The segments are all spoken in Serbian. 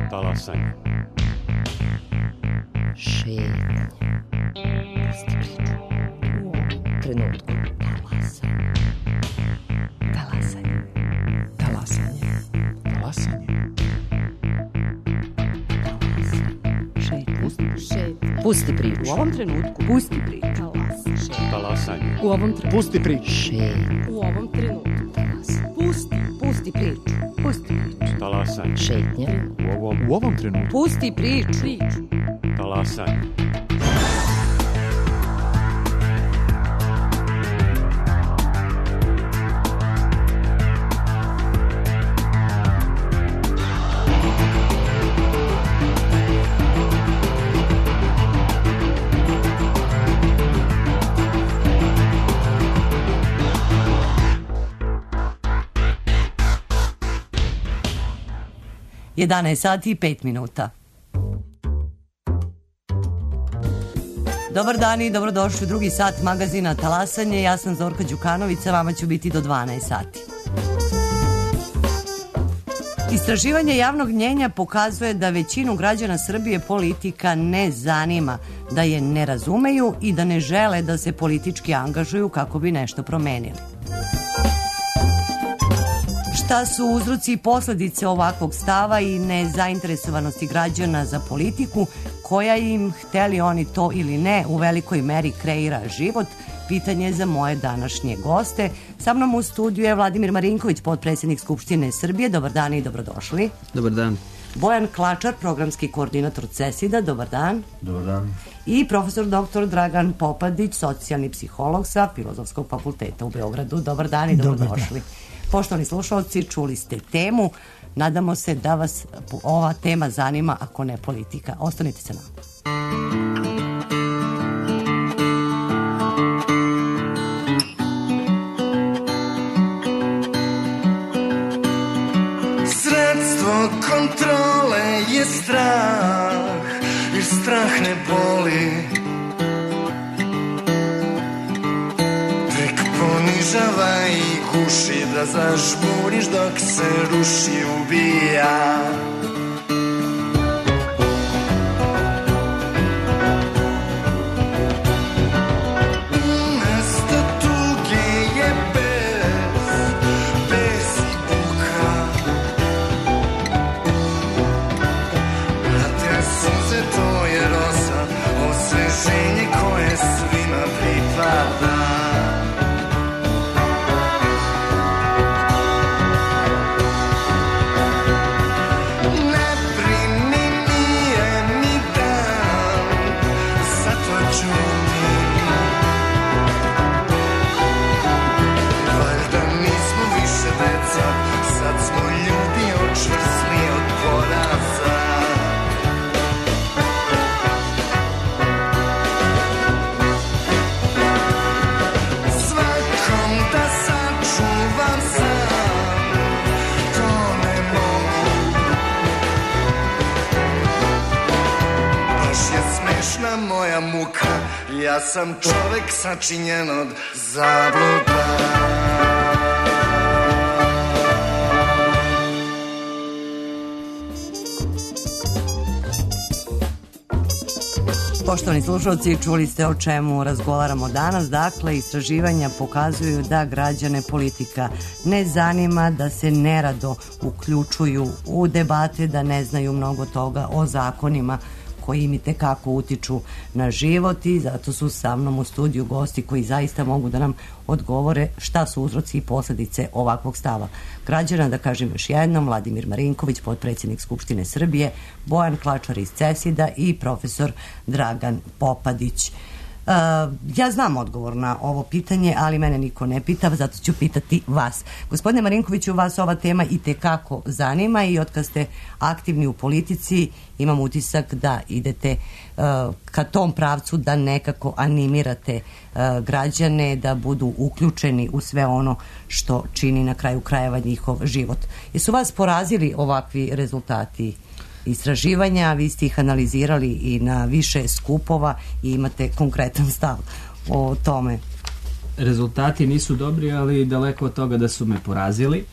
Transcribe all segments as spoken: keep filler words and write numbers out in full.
Talasanje. Šetnja. Pusti priču. U ovom trenutku. Talasanje. Talasanje. Talasanje. Šetnja. Pusti priču. U ovom trenutku. Pusti priču. Talasanje. U ovom trenutku. Pusti priču. Šetnja. U ovom trenutku. Pusti. Pusti priču. Pusti priču. Talasanje. Šetnja. U ovom, U ovom trenutku. Pusti priču. Priču. talasanje. jedanaest sati i pet minuta. Dobar dan i dobrodošli u drugi sat magazina Talasanje. Ja sam Zorka Đukanović, a vama ću biti do dvanaest sati. Istraživanje javnog mnjenja pokazuje da većinu građana Srbije politika ne zanima, da je ne razumeju i da ne žele da se politički angažuju kako bi nešto promenili. Šta su uzroci i posledice ovakvog stava i nezainteresovanosti građana za politiku, koja im, hteli oni to ili ne, u velikoj meri kreira život? Pitanje za moje današnje goste. Sa mnom u studiju je Vladimir Marinković, potpredsjednik Skupštine Srbije. Dobar dan i dobrodošli. Dobar dan. Bojan Klačar, programski koordinator CESID-a. Dobar dan. Dobar dan. I profesor doktor Dragan Popadić, socijalni psiholog sa Filozofskog fakulteta u Beogradu. Dobar dan i dobrodošli. Poštovani slušalci, čuli ste temu. Nadamo se da vas ova tema zanima, ako ne politika. Ostanite sa nama. Sredstvo kontrole je strah, jer strah ne boli. Tek ponižava i guši, da zažmuriš dok se ruši, ubija. Umesto tuge je bes, bes i buka. A te suze to je rosa, osveženje koje svima pripada. Moja muka, ja sam čovek sačinjen od zabluda. Poštovani slušalci, čuli ste o čemu razgovaramo danas. Dakle, istraživanja pokazuju da građane politika ne zanima, da se nerado uključuju u debate, da ne znaju mnogo toga o zakonima koji im i tekako utiču na život, i zato su sa mnom u studiju gosti koji zaista mogu da nam odgovore šta su uzroci i posledice ovakvog stava građana. Da kažem još jednom, Vladimir Marinković, potpredsjednik Skupštine Srbije, Bojan Klačar iz CESID-a i profesor Dragan Popadić. Uh, ja znam odgovor na ovo pitanje, ali mene niko ne pita, zato ću pitati vas. Gospodine Marinkoviću, vas ova tema i tekako zanima i otkad ste aktivni u politici imam utisak da idete uh, ka tom pravcu, da nekako animirate uh, građane da budu uključeni u sve ono što čini na kraju krajeva njihov život. Jesu vas porazili ovakvi rezultati istraživanja? Vi ste ih analizirali i na više skupova i imate konkretan stav o tome. Rezultati nisu dobri, ali daleko od toga da su me porazili.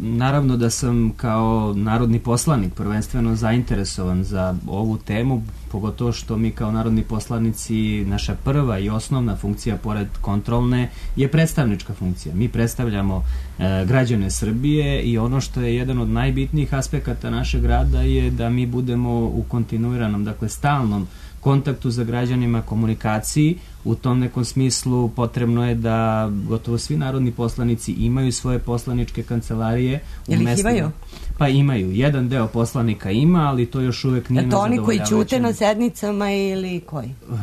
naravno da sam kao narodni poslanik prvenstveno zainteresovan za ovu temu, pogotovo što mi kao narodni poslanici, naša prva i osnovna funkcija pored kontrolne je predstavnička funkcija. Mi predstavljamo e, građane Srbije i ono što je jedan od najbitnijih aspekata našeg rada je da mi budemo u kontinuiranom, dakle stalnom kontaktu za građanima, komunikaciji. U tom nekom smislu potrebno je da gotovo svi narodni poslanici imaju svoje poslaničke kancelarije. Ili ih imaju? Pa imaju. Jedan deo poslanika ima, ali to još uvek nije na zadovoljavajućem. To oni koji ćute na sednicama ili koji? Uh,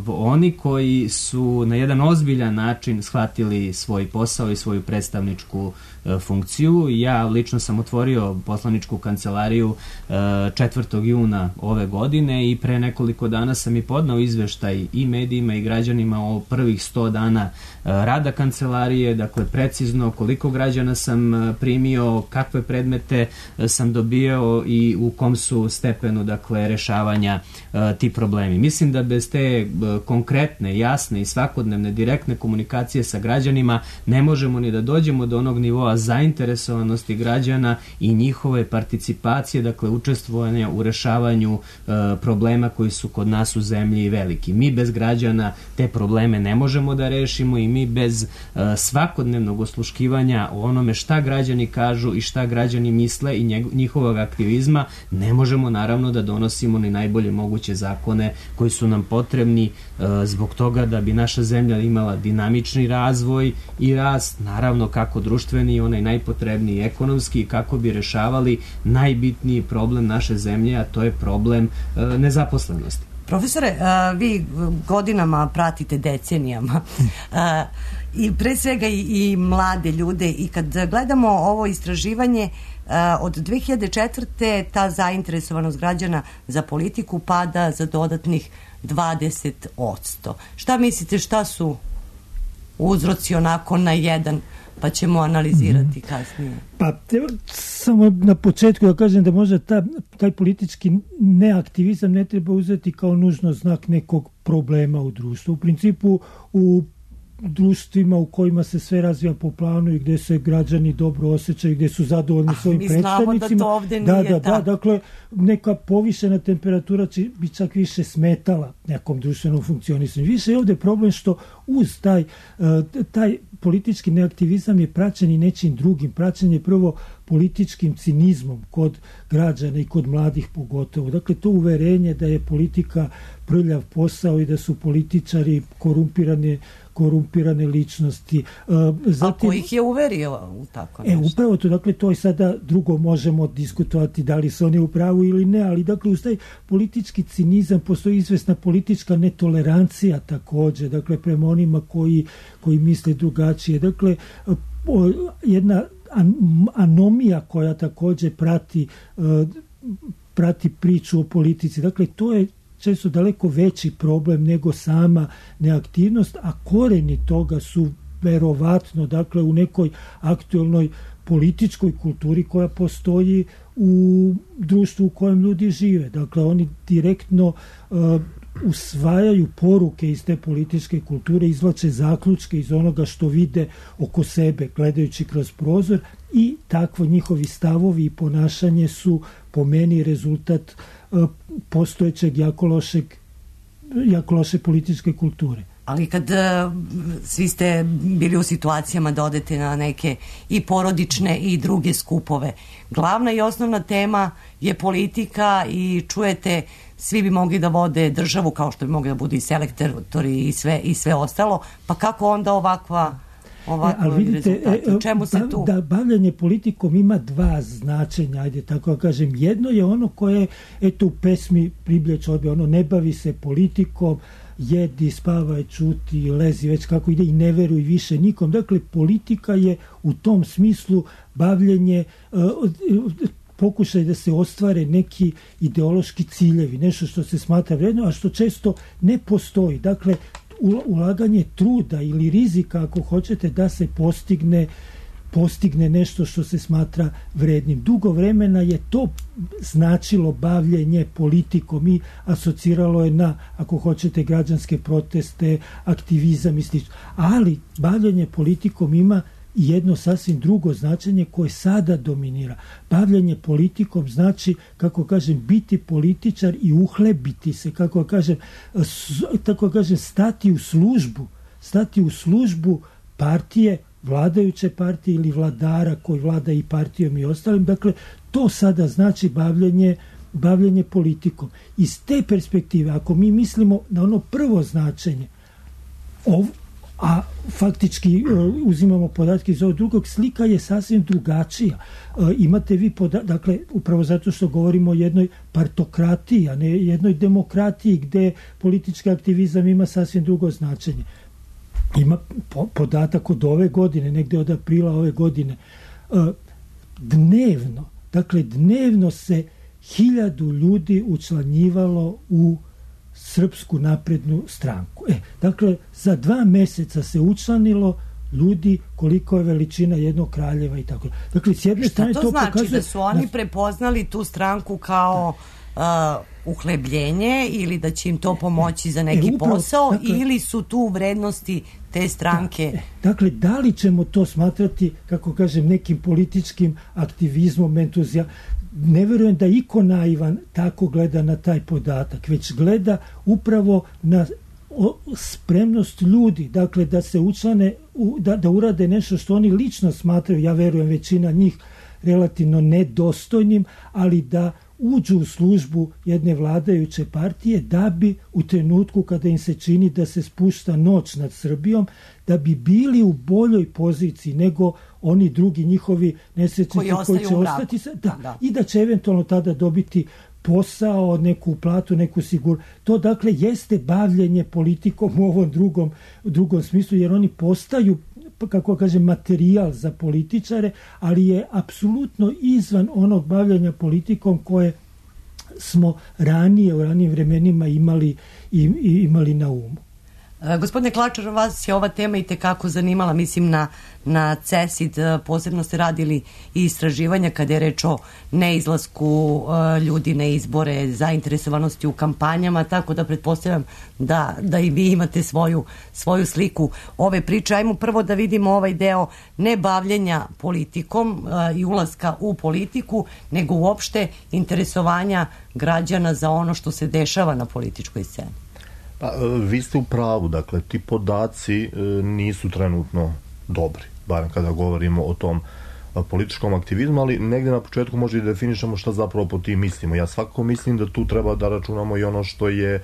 oni koji su na jedan ozbiljan način shvatili svoj posao i svoju predstavničku uh, funkciju. Ja lično sam otvorio poslaničku kancelariju uh, četvrtog juna ove godine i pre nekoliko dana sam i podnao izveštaj i medijima i građanima o prvih sto dana uh, rada kancelarije, dakle precizno koliko građana sam uh, primio, kakve predmete uh, sam dobio i u kom su stepenu, dakle, rešavanja uh, ti problemi. Mislim da bez te uh, konkretne, jasne i svakodnevne direktne komunikacije sa građanima ne možemo ni da dođemo do onog nivoa zainteresovanosti građana i njihove participacije, dakle učestvovanja u rešavanju uh, problema koji su kod nas u zemlji veliki. Mi bez građana te probleme ne možemo da rešimo i mi bez uh, svakodnevnog osluškivanja o onome šta građani kažu i šta građani misle i njeg, njihovog aktivizma ne možemo naravno da donosimo ni najbolje moguće zakone koji su nam potrebni uh, zbog toga da bi naša zemlja imala dinamični razvoj i rast, naravno kako društveni, onaj najpotrebniji ekonomski, kako bi rešavali najbitniji problem naše zemlje, a to je problem uh, nezaposlenosti. Profesore, a, vi godinama pratite, decenijama, a, i pre svega i, i mlade ljude, i kad gledamo ovo istraživanje, a, od dve hiljade četvrte ta zainteresovanost građana za politiku pada za dodatnih dvadeset posto. Šta mislite, šta su uzroci onako na jedan, pa ćemo analizirati kasnije? Pa samo na početku da kažem da možda ta, taj politički neaktivizam ne treba uzeti kao nužno znak nekog problema u društvu. U principu u društvima u kojima se sve razvija po planu i gde se građani dobro osjećaju, gde su zadovoljni ah, svojim predstavnicima. Da, to ovde da, nije da, tako. da, dakle, neka povišena temperatura će bi čak više smetala nekom društvenom funkcionisanju. Više je ovde problem što uz taj, taj politički neaktivizam je praćen i nečim drugim. Praćen je prvo političkim cinizmom kod građana i kod mladih pogotovo. Dakle, to uverenje da je politika prljav posao i da su političari korumpirane korumpirane ličnosti. Zatim, a ko ih je uverio u tako nešto? E, upravo to, dakle, to je sada drugo možemo diskutovati da li su oni u pravu ili ne, ali dakle, uz taj politički cinizam postoji izvesna politička netolerancija takođe, dakle, prema onima koji, koji misle drugačije. Dakle, jedna anomija koja takođe prati, prati priču o politici. Dakle, to je često daleko veći problem nego sama neaktivnost, a koreni toga su verovatno, dakle, u nekoj aktuelnoj političkoj kulturi koja postoji u društvu u kojem ljudi žive. Dakle, oni direktno uh, usvajaju poruke iz te političke kulture, izvlače zaključke iz onoga što vide oko sebe, gledajući kroz prozor, i takvo njihovi stavovi i ponašanje su po meni rezultat uh, postojećeg jako lošeg, jako loše političke kulture. Ali kad uh, svi ste bili u situacijama da odete na neke i porodične i druge skupove, glavna i osnovna tema je politika i čujete svi bi mogli da vode državu kao što bi mogli da budu i selektori i sve, i sve ostalo, pa kako onda ovakva ovakva e, vidite, rezultati? U čemu se tu? Da, bavljanje politikom ima dva značenja, ajde tako da kažem. Jedno je ono koje, eto, u pesmi Priblje čorbe, ono, ne bavi se politikom, jedi, spavaj, čuti, lezi, već kako ide i ne veruj više nikom. Dakle, politika je u tom smislu bavljenje, uh, pokušaj da se ostvare neki ideološki ciljevi, nešto što se smatra vredno, a što često ne postoji. Dakle, ulaganje truda ili rizika, ako hoćete, da se postigne postigne nešto što se smatra vrednim. Dugo vremena je to značilo bavljenje politikom i asociralo je na, ako hoćete, građanske proteste, aktivizam i slično. Ali bavljenje politikom ima jedno sasvim drugo značenje koje sada dominira. Bavljenje politikom znači, kako kažem, biti političar i uhlebiti se, kako kažem, tako kažem, stati u službu, stati u službu partije, vladajuće partije ili vladara koji vlada i partijom i ostalim. Dakle, to sada znači bavljenje, bavljenje politikom. Iz te perspektive, ako mi mislimo na ono prvo značenje, ov, a faktički uh, uzimamo podatke iz ovog drugog, slika je sasvim drugačija. Uh, imate vi podatke, dakle, upravo zato što govorimo o jednoj partokratiji, a ne jednoj demokratiji gde politički aktivizam ima sasvim drugo značenje. Ima po, podatak od ove godine, negde od aprila ove godine, uh, dnevno, dakle, dnevno se hiljadu ljudi učlanjivalo u Srpsku naprednu stranku. E, dakle, za dva meseca se učlanilo ljudi koliko je veličina jednog kraljeva i tako. Dakle, s jedne strane to, to znači pokazuje... da su oni da... prepoznali tu stranku kao uh, uhlebljenje ili da će im to pomoći za neki e, upravo, posao, dakle, ili su tu vrednosti te stranke? Da, e, dakle, da li ćemo to smatrati, kako kažem, nekim političkim aktivizmom, entuzijazmom? Ne verujem da iko naivan tako gleda na taj podatak, već gleda upravo na spremnost ljudi, dakle da se učlane, da, da urade nešto što oni lično smatraju, ja verujem većina njih relativno nedostojnim, ali da uđu u službu jedne vladajuće partije da bi u trenutku kada im se čini da se spušta noć nad Srbijom, da bi bili u boljoj poziciji nego oni drugi njihovi nesrećnici koji, koji će ostati da, da. I da će eventualno tada dobiti posao, neku platu, neku sigur. To dakle jeste bavljenje politikom u ovom drugom, drugom smislu, jer oni postaju, kako kažem, materijal za političare, ali je apsolutno izvan onog bavljanja politikom koje smo ranije, u ranijim vremenima imali, imali na umu. Gospodine Klačar, vas je ova tema i tekako zanimala, mislim na, na CESID, posebno ste radili i istraživanja kada je reč o neizlasku uh, ljudi na izbore, zainteresovanosti u kampanjama, tako da pretpostavljam da, da i vi imate svoju, svoju sliku ove priče. Ajmo prvo da vidimo ovaj deo ne bavljenja politikom uh, i ulaska u politiku, nego uopšte interesovanja građana za ono što se dešava na političkoj sceni. Pa, vi ste u pravu, dakle, ti podaci e, nisu trenutno dobri, barem kada govorimo o tom a, političkom aktivizmu, ali negde na početku možda i definišemo šta zapravo po tim mislimo. Ja svakako mislim da tu treba da računamo i ono što je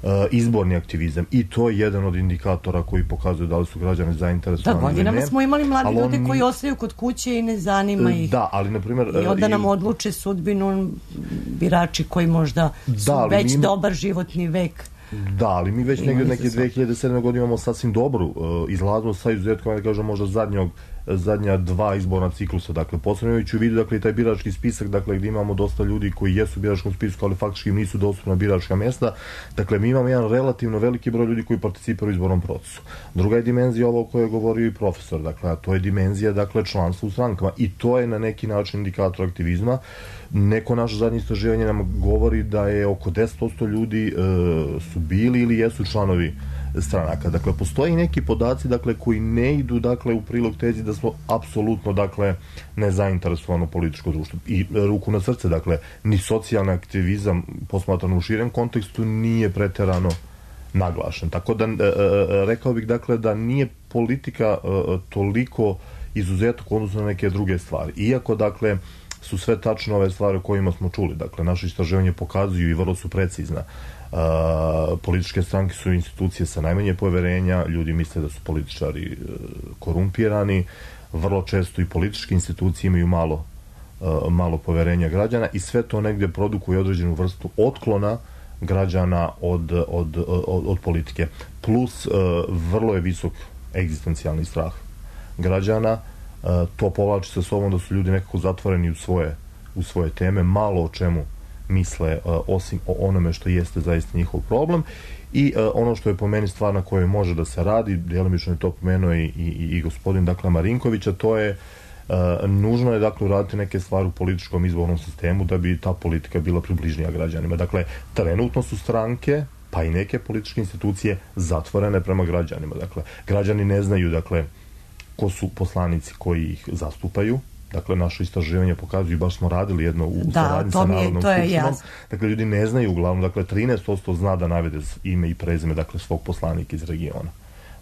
a, izborni aktivizam, i to je jedan od indikatora koji pokazuju da li su građani zainteresovani. Da, godinama smo imali mladi ljudi on... koji ostaju kod kuće i ne zanima ih. Da, ali na primjer... I onda nam odluče sudbinu birači koji možda su da, već ima... dobar životni vek. Da, ali mi već negdje neke dve hiljade sedme godine imamo sasvim dobru uh, izlaznost sa izuzetkom, da kažem, možda zadnjog, zadnja dva izborna ciklusa. Dakle, posebno imajući u vidu, dakle, i taj birački spisak, dakle, gdje imamo dosta ljudi koji jesu u biračkom spisku, ali faktički nisu dostupna biračka mjesta. Dakle, mi imamo jedan relativno veliki broj ljudi koji participiraju u izbornom procesu. Druga je dimenzija ovo o kojoj je govorio i profesor, dakle, a to je dimenzija, dakle, članstva u strankama, i to je na neki način indikator aktivizma. Neko naše zadnje istraživanje nam govori da je oko deset posto ljudi e, su bili ili jesu članovi stranaka. Dakle, postoji neki podaci, dakle, koji ne idu, dakle, u prilog tezi da smo apsolutno, dakle, nezainteresovano političko društvo. I ruku na srce, dakle, ni socijalni aktivizam posmatrano u širem kontekstu nije preterano naglašen. Tako da, e, e, rekao bih, dakle, da nije politika e, toliko izuzetak u odnosu na neke druge stvari. Iako, dakle, su sve tačno ove stvari o kojima smo čuli. Dakle, naše istraživanje pokazuju i vrlo su precizna. Uh, političke stranke su institucije sa najmanje poverenja, ljudi misle da su političari uh, korumpirani, vrlo često i političke institucije imaju malo, uh, malo poverenja građana, i sve to negdje produkuje određenu vrstu otklona građana od, od, od, od politike. Plus, uh, vrlo je visok egzistencijalni strah građana. Uh, to povlači sa sobom da su ljudi nekako zatvoreni u svoje, u svoje teme, malo o čemu misle uh, osim o onome što jeste zaista njihov problem. I uh, ono što je po meni stvar na kojoj može da se radi, djelomično je to pomenuo i, i, i gospodin, dakle, Marinkovića, to je uh, nužno je, dakle, uraditi neke stvari u političkom izbornom sistemu da bi ta politika bila približnija građanima. Dakle, trenutno su stranke, pa i neke političke institucije zatvorene prema građanima. Dakle, građani ne znaju, dakle, ko su poslanici koji ih zastupaju. Dakle, naše istraživanje pokazuju, baš smo radili jedno u da, saradnji sa Narodnom skupštinom. Dakle, ljudi ne znaju uglavnom, dakle, trinaest posto zna da navede ime i prezime, dakle, svog poslanika iz regiona.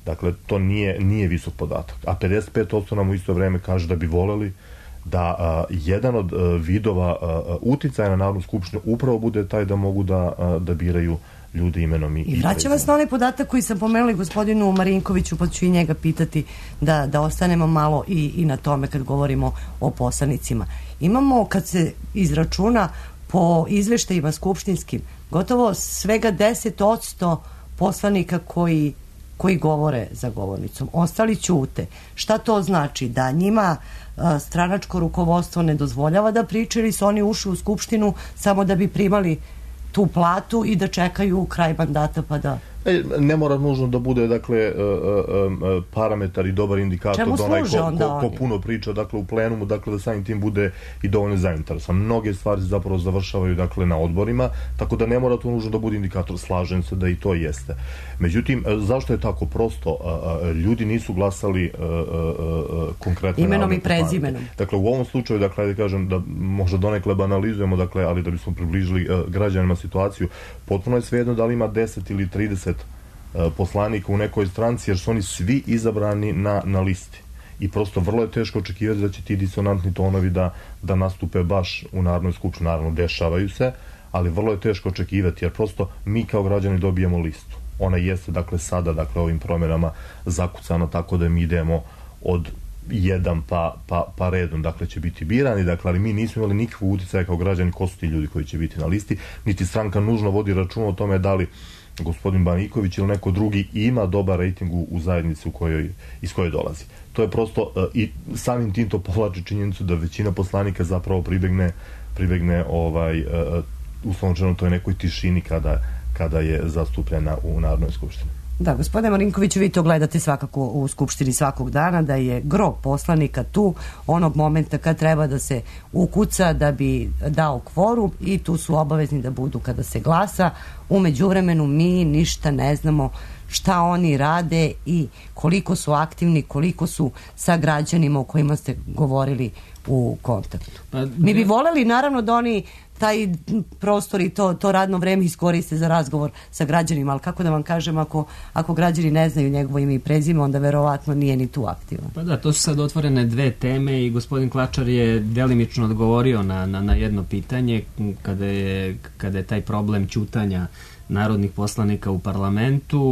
Dakle, to nije, nije visok podatak. A pedeset pet posto nam u isto vreme kaže da bi voleli da a, jedan od a, vidova a, uticaja na Narodnu skupštinu upravo bude taj da mogu da, a, da biraju ljude imenom i, I vraćam vas na onaj podatak koji sam pomenuli gospodinu Marinkoviću, pa ću i njega pitati da, da ostanemo malo i, i na tome kad govorimo o poslanicima. Imamo, kad se izračuna po izveštajima skupštinskim, gotovo svega deset posto poslanika koji, koji govore za govornicom. Ostali ćute. Šta to znači? Da njima a, stranačko rukovodstvo ne dozvoljava da pričaju ili su oni ušli u skupštinu samo da bi primali tu platu i da čekaju kraj mandata pa da... Ne mora nužno da bude, dakle, parametar i dobar indikator da onaj ko, ko, ko puno priča, dakle, u plenumu, dakle, da samim tim bude i dovoljno zainteresovan. Mnoge stvari se zapravo završavaju, dakle, na odborima, tako da ne mora to nužno da bude indikator. Slažem se da i to jeste. Međutim, zašto je tako prosto? Ljudi nisu glasali konkretno imenom i prezimenom. Dakle, u ovom slučaju, dakle, da kažem da možda donekle banalizujemo, dakle, ali da bismo približili građanima situaciju, potpuno je svejedno da li ima deset ili trideset poslanika u nekoj stranci, jer su oni svi izabrani na, na listi. I prosto vrlo je teško očekivati da će ti disonantni tonovi da, da nastupe baš u Narodnoj skupštini. Naravno, dešavaju se, ali vrlo je teško očekivati, jer prosto mi kao građani dobijemo listu. Ona jeste, dakle, sada, dakle, ovim promjenama zakucana tako da mi idemo od jedan pa, pa, pa redom, dakle, će biti birani, dakle, ali mi nismo imali nikakvu uticaja kao građani ko su ti ljudi koji će biti na listi, niti stranka nužno vodi račun o tome da li gospodin Baniković ili neko drugi ima dobar rejting u, u zajednici u kojoj, iz koje dolazi. To je prosto, uh, i samim tim to povlači činjenicu da većina poslanika zapravo pribegne, pribegne ovaj, uh, uslovno rečeno toj nekoj tišini kada, kada je zastupljena u Narodnoj skupštini. Da, gospodine Marinkoviću, vi to gledate svakako u Skupštini svakog dana, da je gro poslanika tu onog momenta kad treba da se ukuca da bi dao kvorum i tu su obavezni da budu kada se glasa. U međuvremenu mi ništa ne znamo šta oni rade i koliko su aktivni, koliko su sa građanima o kojima ste govorili u kontaktu. Pa, mi bi voleli naravno da oni taj prostor i to, to radno vreme iskoriste za razgovor sa građanima, ali kako da vam kažem, ako, ako građani ne znaju njegovo ime i prezime, onda verovatno nije ni tu aktivan. Pa da, to su sad otvorene dve teme i gospodin Klačar je delimično odgovorio na, na, na jedno pitanje kada je, kada je taj problem ćutanja narodnih poslanika u parlamentu.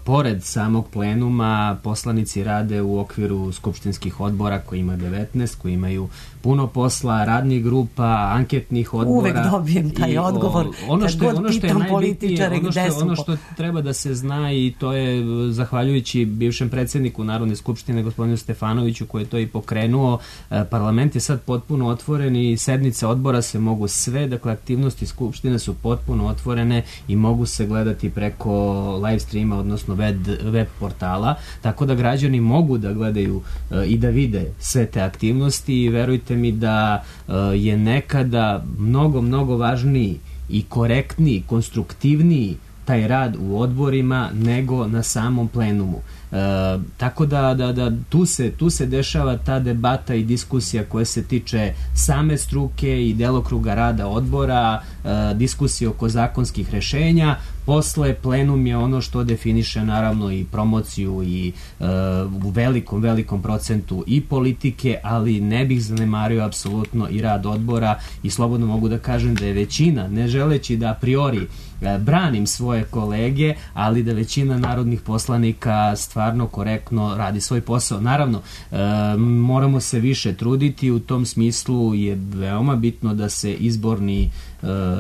Pored samog plenuma, poslanici rade u okviru skupštinskih odbora koji ima devetnaest, koji imaju puno posla, radnih grupa, anketnih odbora. Uvek dobijem taj odgovor. O, ono što je, ono što je najbitnije, ono što, ono što treba da se zna, i to je zahvaljujući bivšem predsjedniku Narodne skupštine, gospodinu Stefanoviću, koji je to i pokrenuo. Parlament je sad potpuno otvoren i sednice odbora se mogu sve, dakle aktivnosti skupštine su potpuno otvorene i mogu se gledati preko live streama, odnosno web, web portala, tako da građani mogu da gledaju e, i da vide sve te aktivnosti i verujte mi da e, je nekada mnogo, mnogo važniji i korektniji, konstruktivniji taj rad u odborima nego na samom plenumu. E, tako da, da, da tu, se, tu se dešava ta debata i diskusija koja se tiče same struke i delokruga rada odbora, e, diskusije oko zakonskih rešenja. Posle plenum je ono što definiše naravno i promociju i e, u velikom, velikom procentu i politike, ali ne bih zanemario apsolutno i rad odbora i slobodno mogu da kažem da je većina, ne želeći da a priori e, branim svoje kolege, ali da većina narodnih poslanika stvarno korektno radi svoj posao. Naravno, e, moramo se više truditi, u tom smislu je veoma bitno da se izborni e,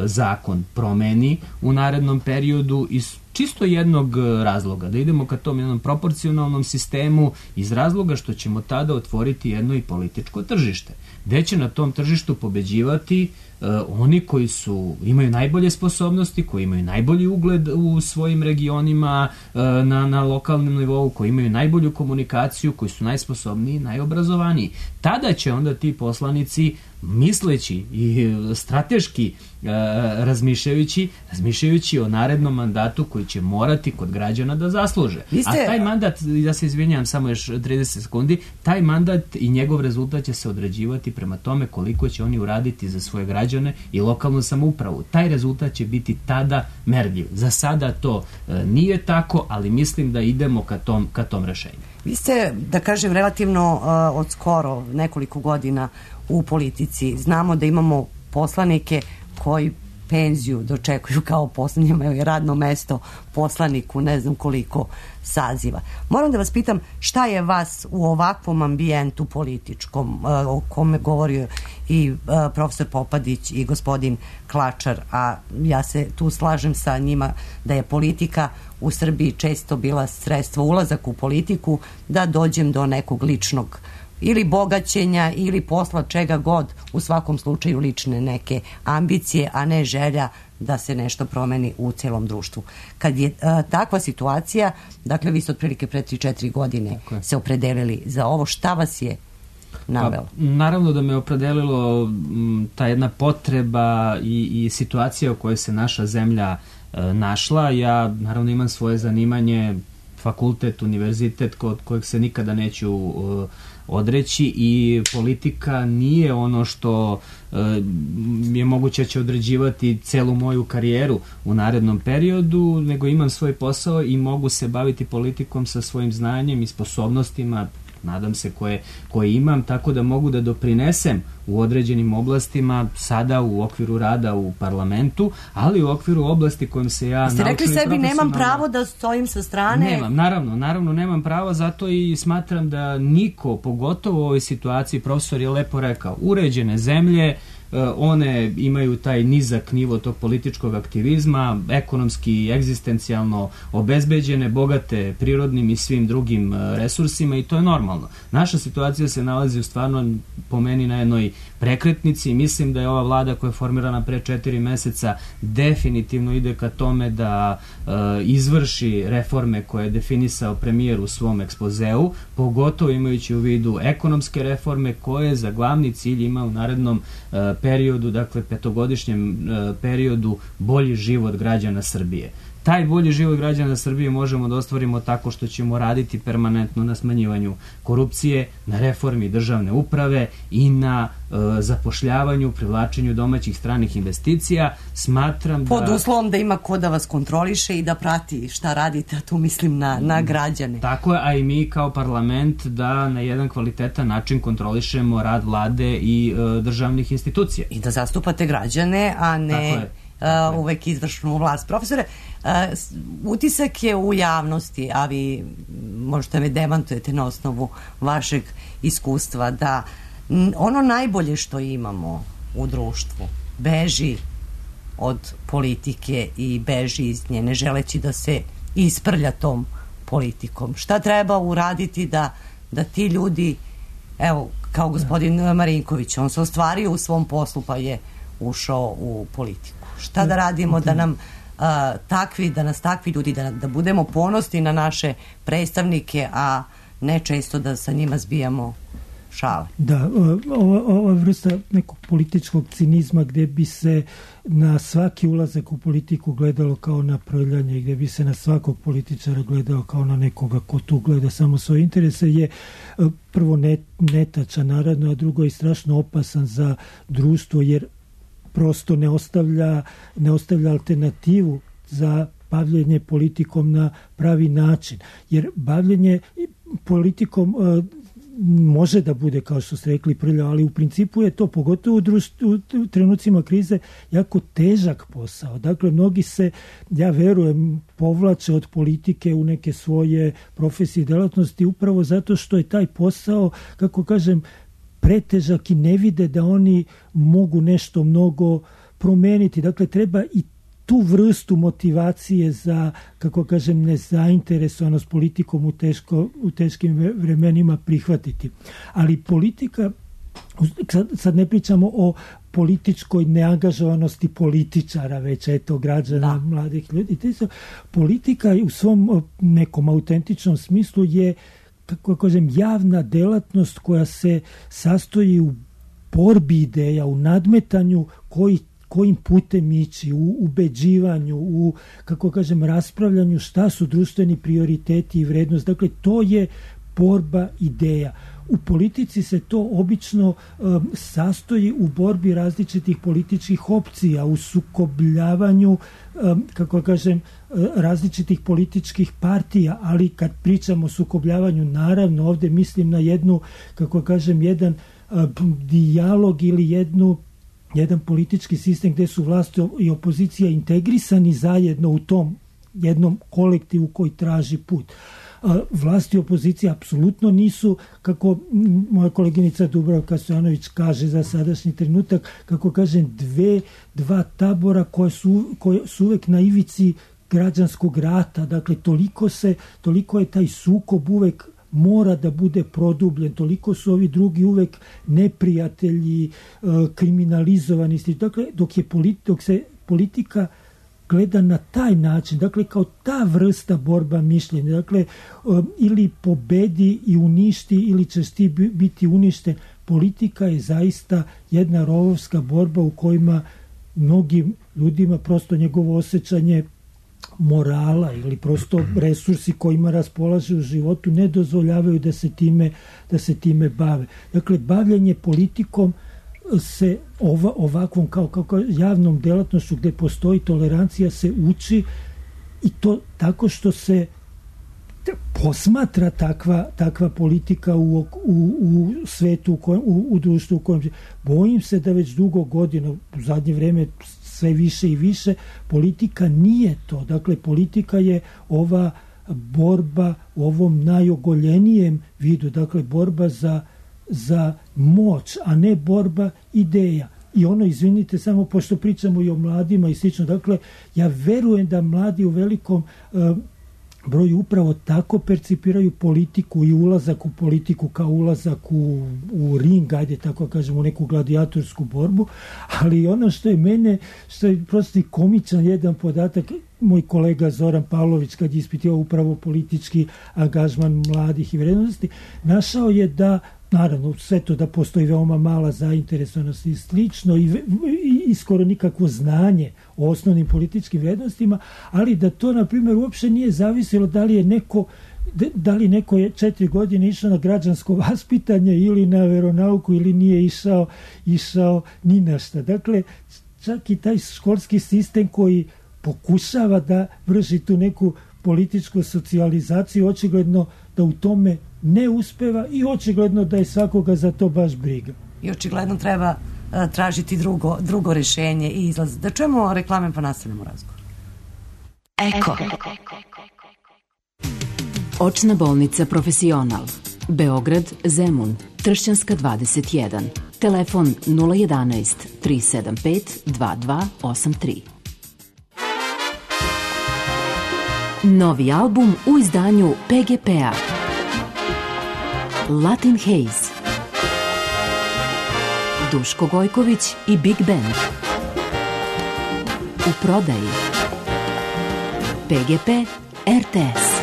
zakon promeni u narednom periodu iz čisto jednog razloga, da idemo ka tom jednom proporcionalnom sistemu, iz razloga što ćemo tada otvoriti jedno i političko tržište, gde će na tom tržištu pobeđivati uh, oni koji su, imaju najbolje sposobnosti, koji imaju najbolji ugled u svojim regionima, uh, na, na lokalnom nivou, koji imaju najbolju komunikaciju, koji su najsposobniji, najobrazovaniji. Tada će onda ti poslanici misleći i strateški e, razmišljajući, razmišljajući o narednom mandatu koji će morati kod građana da zasluže. Ste... A taj mandat, ja se izvinjam samo još trideset sekundi, taj mandat i njegov rezultat će se određivati prema tome koliko će oni uraditi za svoje građane i lokalnu samoupravu. Taj rezultat će biti tada merljiv. Za sada to e, nije tako, ali mislim da idemo ka tom, ka tom rešenju. Vi ste, da kažem, relativno uh, od skoro nekoliko godina u politici. Znamo da imamo poslanike koji penziju dočekuju kao poslanik, imaju radno mesto poslaniku, ne znam koliko saziva. Moram da vas pitam šta je vas u ovakvom ambijentu političkom, uh, o kome govorio i uh, profesor Popadić i gospodin Klačar, a ja se tu slažem sa njima da je politika u Srbiji često bila sredstvo, ulazak u politiku, da dođem do nekog ličnog ili bogaćenja ili posla, čega god, u svakom slučaju lične neke ambicije, a ne želja da se nešto promeni u celom društvu. Kad je a, takva situacija, dakle vi ste otprilike pre tri četiri godine se opredelili za ovo, šta vas je navelo? Pa, naravno da me opredelilo m, ta jedna potreba i, i situacija u kojoj se naša zemlja e, našla. Ja naravno imam svoje zanimanje, fakultet, univerzitet kod kojeg se nikada neću e, odreći i politika nije ono što e, je moguće će određivati celu moju karijeru u narednom periodu, nego imam svoj posao i mogu se baviti politikom sa svojim znanjem i sposobnostima, nadam se, koje, koje imam, tako da mogu da doprinesem u određenim oblastima sada u okviru rada u parlamentu, ali u okviru oblasti kojom se ja naučim. Ste rekli sebi nemam pravo da stojim sa strane? Nemam, naravno, naravno nemam pravo, zato i smatram da niko, pogotovo u ovoj situaciji, profesor je lepo rekao, uređene zemlje, one imaju taj nizak nivo tog političkog aktivizma, ekonomski i egzistencijalno obezbeđene, bogate prirodnim i svim drugim resursima i to je normalno. Naša situacija se nalazi u stvarno po meni na jednoj prekretnici i mislim da je ova vlada koja je formirana pre četiri meseca definitivno ide ka tome da e, izvrši reforme koje je definisao premijer u svom ekspozeu, pogotovo imajući u vidu ekonomske reforme koje za glavni cilj ima u narednom e, periodu, dakle petogodišnjem e, periodu, bolji život građana Srbije. Taj bolji život građana Srbije možemo da ostvarimo tako što ćemo raditi permanentno na smanjivanju korupcije, na reformi državne uprave i na e, zapošljavanju, privlačenju domaćih stranih investicija. Smatram Pod da... uslovom da ima ko da vas kontroliše i da prati šta radite, a tu mislim na, na građane. Tako je, a i mi kao parlament da na jedan kvalitetan način kontrolišemo rad vlade i e, državnih institucija. I da zastupate građane, a ne... Uh, uvek izvršnu vlast. Profesore, uh, utisak je u javnosti, a vi možete me demantujete na osnovu vašeg iskustva, da ono najbolje što imamo u društvu beži od politike i beži iz nje, ne želeći da se isprlja tom politikom. Šta treba uraditi da, da ti ljudi, evo, kao gospodin Marinković, on se ostvario u svom poslu pa je ušao u politiku. Šta da radimo da nam uh, takvi, da nas takvi ljudi, da, da budemo ponosni na naše predstavnike, a ne često da sa njima zbijamo šale. Da, ova, ova vrsta nekog političkog cinizma gde bi se na svaki ulazak u politiku gledalo kao na prljanje, gde bi se na svakog političara gledalo kao na nekoga ko tu gleda samo svoje interese, je prvo net, netačan naravno, a drugo je strašno opasan za društvo, jer prosto ne ostavlja, ne ostavlja alternativu za bavljenje politikom na pravi način. Jer bavljenje politikom e, može da bude, kao što ste rekli, prljavo, ali u principu je to, pogotovo u, društvu, u trenucima krize, jako težak posao. Dakle, mnogi se, ja verujem, povlače od politike u neke svoje profesije i delatnosti upravo zato što je taj posao, kako kažem, pretežak i ne vide da oni mogu nešto mnogo promeniti. Dakle, treba i tu vrstu motivacije za, kako kažem, nezainteresovanost politikom u, teško, u teškim vremenima prihvatiti. Ali politika, sad ne pričamo o političkoj neangažovanosti političara, već eto građana, da. Mladih ljudi. Politika u svom nekom autentičnom smislu je, kako kažem, javna delatnost koja se sastoji u borbi ideja, u nadmetanju koji kojim putem ići, u ubeđivanju, u, kako kažem, raspravljanju šta su društveni prioriteti i vrednost. Dakle, to je borba ideja. U politici se to obično um, sastoji u borbi različitih političkih opcija, u sukobljavanju, um, kako kažem, različitih političkih partija, ali kad pričamo o sukobljavanju, naravno, ovdje mislim na jednu, kako kažem, jedan um, dijalog ili jednu jedan politički sistem gdje su vlast i opozicija integrisani zajedno u tom jednom kolektivu koji traži put. Vlast i opozicija apsolutno nisu, kako moja koleginica Dubravka Stojanović kaže za sadašnji trenutak, kako kažem, dve, dva tabora koje su, koje su uvek na ivici građanskog rata. Dakle, toliko se, toliko je taj sukob uvek mora da bude produbljen, toliko su ovi drugi uvek neprijatelji, kriminalizovani. Dakle, dok, je politi- dok se politika gleda na taj način, dakle, kao ta vrsta borba mišljenja, dakle, ili pobedi i uništi, ili ćeš ti biti uništen. Politika je zaista jedna rovovska borba u kojima mnogim ljudima prosto njegovo osjećanje morala ili prosto resursi kojima raspolaže u životu ne dozvoljavaju da se time, da se time bave. Dakle, bavljanje politikom se ova, ovakvom kao, kao javnom delatnošću gdje postoji tolerancija se uči, i to tako što se posmatra takva, takva politika u, u, u svetu, u, kojem, u, u društvu u kojem... Bojim se da već dugo godina, u zadnje vrijeme sve više i više, politika nije to. Dakle, politika je ova borba u ovom najogoljenijem vidu, dakle, borba za, za moć, a ne borba ideja. I ono, izvinite, samo pošto pričamo i o mladima i slično, dakle, ja verujem da mladi u velikom uh, broju upravo tako percipiraju politiku i ulazak u politiku kao ulazak u, u ring, ajde tako kažem, u neku gladijatorsku borbu, ali ono što je mene, što je prosto i komičan jedan podatak, moj kolega Zoran Pavlović, kad je ispitivao upravo politički angažman mladih i vrednosti, našao je da, naravno, sve to da postoji veoma mala zainteresovanost i slično i, i, i skoro nikakvo znanje o osnovnim političkim vrednostima, ali da to, na primjer, uopšte nije zavisilo da li je neko da li neko je četiri godine išao na građansko vaspitanje ili na veronauku ili nije išao, išao ni na šta. Dakle, čak i taj školski sistem koji pokušava da vrši tu neku političku socijalizaciju, očigledno da u tome ne uspeva i očigledno da je svakoga za to baš briga. I očigledno treba uh, tražiti drugo, drugo rješenje i izlaz. Da čujemo reklame pa nastavljamo razgovor. Eko. Očna bolnica Profesional. Beograd, Zemun, Tršćanska dvadeset jedan. Telefon nula jedanaest tri sedam pet dva dva osam tri. Novi album u izdanju P G P-a. Latin Haze. Duško Gojković i Big Band. U prodaji. P G P R T S.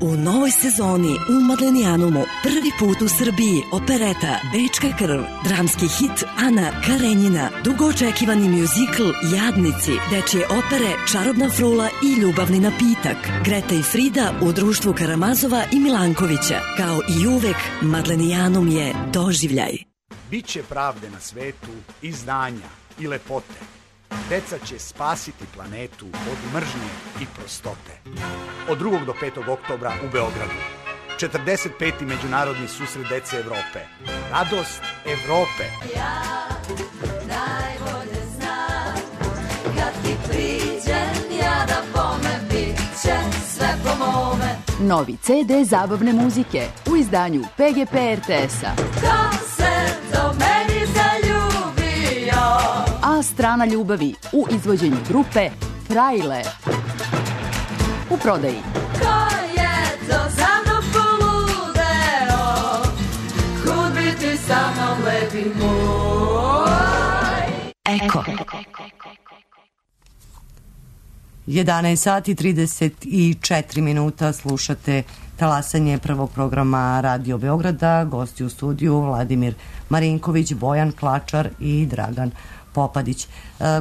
U novoj sezoni u Madlenijanumu prvi put u Srbiji opereta Bečka krv, dramski hit Ana Karenjina, dugo očekivani mjuzikl Jadnici, dečje opere Čarobna frula i Ljubavni napitak, Greta i Frida u društvu Karamazova i Milankovića. Kao i uvek, Madlenijanum je doživljaj. Biće pravde na svetu i znanja i lepote. Deca će spasiti planetu od mržnje i prostote. Od drugog do petog oktobra u Beogradu. četrdeset peti Međunarodni susret dece Evrope. Radost Evrope. Ja najbolje znam, kad ti priđem, ja da bome, bit će sve po mome. Novi C D zabavne muzike u izdanju P G P R T S-a. Ko se do meni zaljubio? A strana ljubavi u izvođenju grupe Frajle. U prodaji. Ko je to za mnom poludeo? Kud bi ti sa mnom, lepi moj? Eko. jedanaest sati trideset četiri minuta, slušate talasanje prvog programa Radio Beograda. Gosti u studiju Vladimir Marinković, Bojan Klačar i Dragan Popadić. E,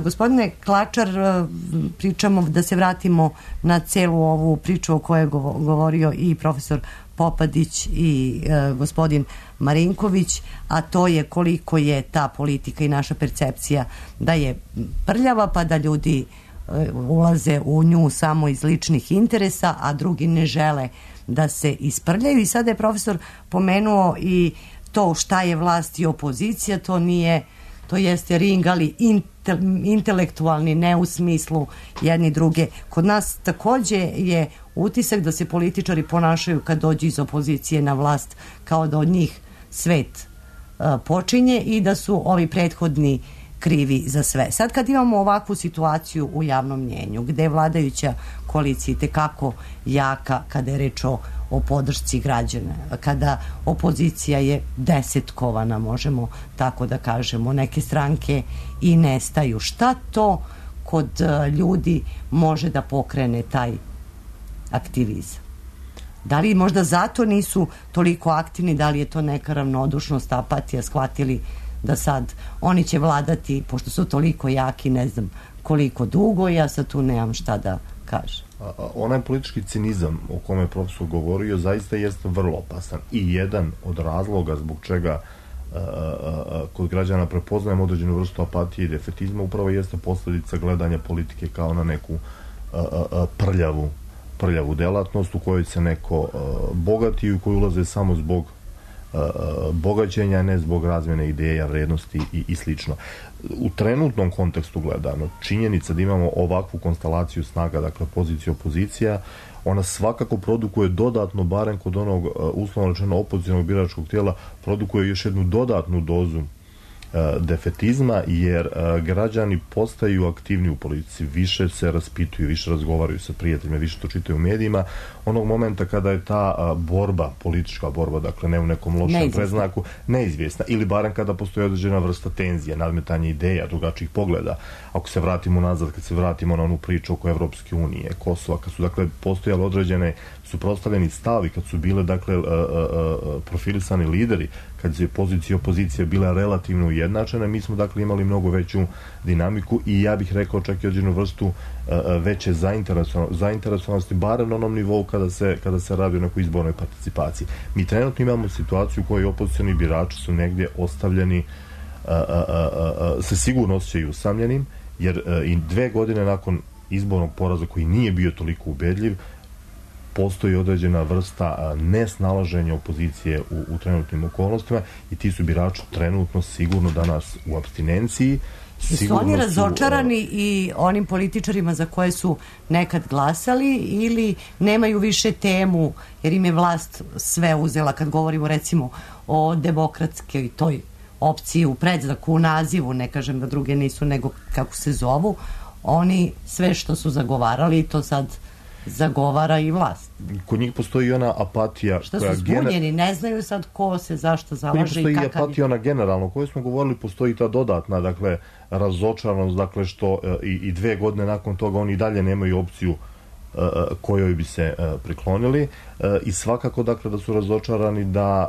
gospodine Klačar, pričamo, da se vratimo na celu ovu priču o kojoj je govorio i profesor Popadić i e, gospodin Marinković, a to je koliko je ta politika i naša percepcija da je prljava, pa da ljudi e, ulaze u nju samo iz ličnih interesa, a drugi ne žele da se isprljaju. I sada je profesor pomenuo i to šta je vlast i opozicija, to nije, to jeste ring, ali inte, intelektualni, ne u smislu jedni druge. Kod nas takođe je utisak da se političari ponašaju kad dođu iz opozicije na vlast kao da od njih svet uh, počinje i da su ovi prethodni krivi za sve. Sad kad imamo ovakvu situaciju u javnom mnjenju, gde je vladajuća koalicija tekako jaka kada je reč o, o podršci građana, kada opozicija je desetkovana, možemo tako da kažemo, neke stranke i nestaju. Šta to kod uh, ljudi može da pokrene taj aktivizam? Da li možda zato nisu toliko aktivni, da li je to neka ravnodušnost, apatija, shvatili da sad oni će vladati, pošto su toliko jaki, ne znam koliko dugo, ja sad tu nemam šta da kažem. A, a, onaj politički cinizam o kome je profesor govorio zaista jeste vrlo opasan i jedan od razloga zbog čega a, a, a, kod građana prepoznajemo određenu vrstu apatije i defetizma upravo jeste posljedica gledanja politike kao na neku a, a, a, prljavu prljavu delatnost u kojoj se neko uh, bogati i u koju ulaze samo zbog uh, bogaćenja, ne zbog razmjene ideja, vrednosti i, i slično. U trenutnom kontekstu gledano, činjenica da imamo ovakvu konstelaciju snaga, dakle pozicija opozicija, ona svakako produkuje dodatno, barem kod onog uh, uslovno rečeno opozicionog biračkog tijela, produkuje još jednu dodatnu dozu defetizma, jer građani postaju aktivni u politici, više se raspituju, više razgovaraju sa prijateljima, više to čitaju u medijima. Onog momenta kada je ta borba, politička borba, dakle ne u nekom lošem predznaku, neizvjesna, ili barem kada postoji određena vrsta tenzije, nadmetanje ideja, drugačijih pogleda. Ako se vratimo nazad, kad se vratimo na onu priču oko Evropske unije, Kosova, kad su dakle postojale određene suprotstavljeni stavi, kad su bile dakle profilisani lideri, kad je pozicija i opozicija bila relativno ujednačena, mi smo dakle imali mnogo veću dinamiku i ja bih rekao čak i određenu vrstu veće zainteresovanosti, barem na onom nivou kada se, kada se radi o nekoj izbornoj participaciji. Mi trenutno imamo situaciju u kojoj opozicioni birači su negdje ostavljeni, a, a, a, a, se sigurno osjećaju usamljenim, jer a, i dve godine nakon izbornog poraza koji nije bio toliko ubedljiv, postoji određena vrsta nesnalaženja opozicije u, u trenutnim okolnostima i ti su birači trenutno sigurno danas u apstinenciji. Su oni razočarani su, i onim političarima za koje su nekad glasali ili nemaju više temu jer im je vlast sve uzela, kad govorimo recimo o demokratskoj toj opciji u predznaku, u nazivu, ne kažem da druge nisu nego kako se zovu, oni sve što su zagovarali to sad zagovara i vlast. Kod njih postoji ona apatija. Što su zbunjeni, gener... ne znaju sad ko se zašto zalaže i kakav. Postoji i apatija ona generalno, o kojoj smo govorili, postoji ta dodatna, dakle, razočaranost, dakle, što i, i dve godine nakon toga oni dalje nemaju opciju uh, kojoj bi se uh, priklonili uh, i svakako, dakle, da su razočarani da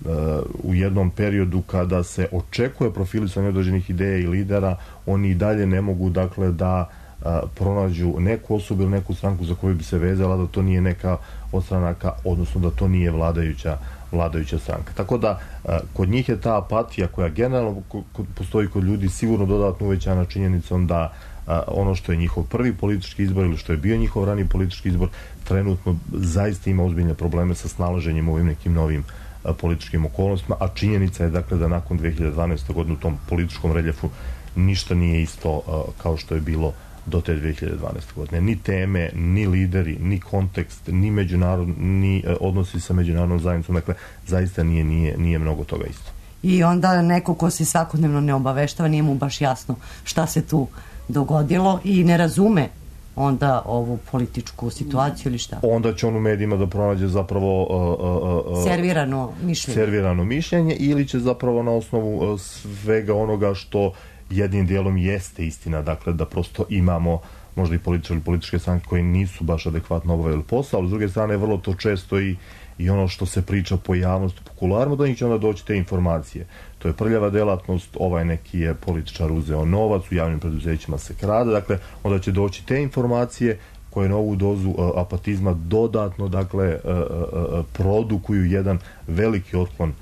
uh, uh, u jednom periodu kada se očekuje profilisanje određenih ideja i lidera, oni i dalje ne mogu, dakle, da a, pronađu neku osobu ili neku stranku za koju bi se vezala da to nije neka od stranaka, odnosno da to nije vladajuća vladajuća stranka. Tako da a, kod njih je ta apatija koja generalno kod, postoji kod ljudi sigurno dodatno uvećana činjenicom da a, ono što je njihov prvi politički izbor ili što je bio njihov rani politički izbor trenutno zaista ima ozbiljne probleme sa snalaženjem u ovim nekim novim a, političkim okolnostima, a činjenica je dakle da nakon dve hiljade dvanaeste. godine u tom političkom reljefu ništa nije isto a, kao što je bilo do te dve hiljade dvanaeste. godine. Ni teme, ni lideri, ni kontekst, ni međunarod, ni e, odnosi sa međunarodnom zajednicom. Dakle, zaista nije, nije, nije mnogo toga isto. I onda neko ko se svakodnevno ne obaveštava, nije mu baš jasno šta se tu dogodilo i ne razume onda ovu političku situaciju ili šta? Onda će on u medijima da pronađe zapravo uh, uh, uh, servirano mišljenje. servirano mišljenje ili će zapravo na osnovu uh, svega onoga što jednim dijelom jeste istina, dakle da prosto imamo možda i političari ili političke stranke koji nisu baš adekvatno obavili posao, ali s druge strane vrlo to često i, i ono što se priča po javnosti, po kuloarima, do njih će onda doći te informacije. To je prljava delatnost, ovaj neki je političar uzeo novac, u javnim preduzećima se krade, dakle onda će doći te informacije koje na ovu dozu uh, apatizma dodatno, dakle, uh, uh, produkuju jedan veliki otklon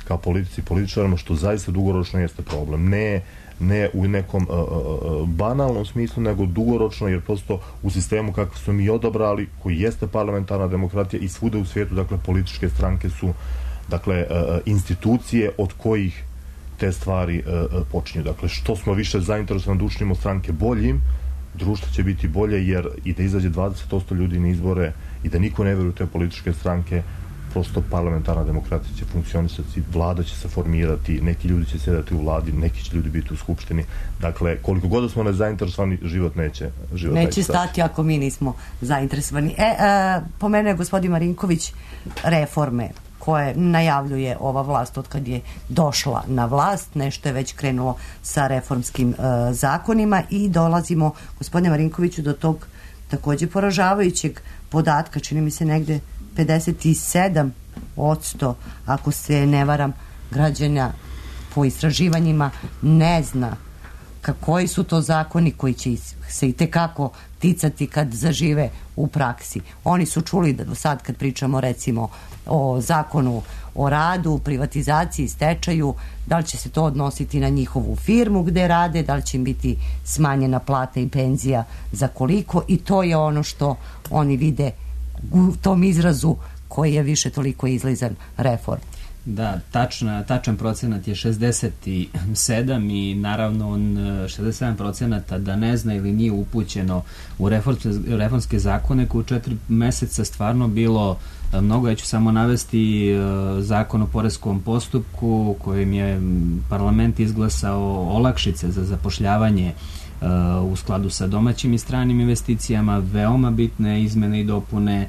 ka politici i političarima, što zaista dugoročno jeste problem. Ne, ne u nekom uh, uh, banalnom smislu, nego dugoročno, jer prosto u sistemu kako smo mi odabrali, koji jeste parlamentarna demokratija i svuda u svijetu, dakle, političke stranke su, dakle, uh, institucije od kojih te stvari uh, počinju. Dakle, što smo više zainteresovani da učinimo stranke boljim, društvo će biti bolje, jer i da izađe dvadeset posto ljudi na izbore i da niko ne veruje u te političke stranke, prosto parlamentarna demokratija će funkcionisati, vlada će se formirati, neki ljudi će sjedati u vladi, neki će ljudi biti u skupštini. Dakle, koliko god da smo nezainteresovani, život neće život neće stati. stati ako mi nismo zainteresovani. E, e pomenuo je gospodin Marinković reforme koje najavljuje ova vlast od kad je došla na vlast, nešto je već krenulo sa reformskim e, zakonima i dolazimo, gospodine Marinkoviću, do tog takođe poražavajućeg podatka, čini mi se negde pedeset sedam posto, ako se ne varam, građana po istraživanjima ne zna koji su to zakoni koji će se i tekako ticati kad zažive u praksi. Oni su čuli da do sad kad pričamo recimo o zakonu o radu, privatizaciji, stečaju, da li će se to odnositi na njihovu firmu gde rade, da li će im biti smanjena plata i penzija za koliko, i to je ono što oni vide u tom izrazu koji je više toliko izlizan reform. Da, tačna, tačan procenat je šezdeset sedam i naravno on šezdeset sedam procenata da ne zna ili nije upućeno u reformske, reformske zakone koji u četiri meseca stvarno bilo mnogo. Ja ću samo navesti zakon o poreskom postupku kojim je parlament izglasao olakšice za zapošljavanje u skladu sa domaćim i stranim investicijama, veoma bitne izmene i dopune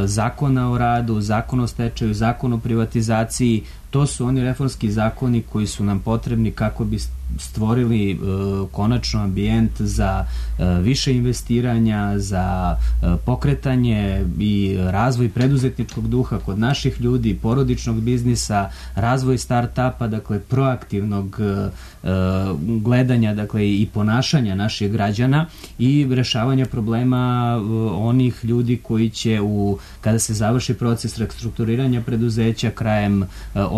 zakona o radu, zakon o stečaju, zakon o privatizaciji. To su oni reformski zakoni koji su nam potrebni kako bi stvorili uh, konačno ambijent za uh, više investiranja, za uh, pokretanje i razvoj preduzetničkog duha kod naših ljudi, porodičnog biznisa, razvoj start-upa, dakle proaktivnog uh, gledanja, dakle i ponašanja naših građana i rešavanja problema uh, onih ljudi koji će u, kada se završi proces restrukturiranja preduzeća krajem uh,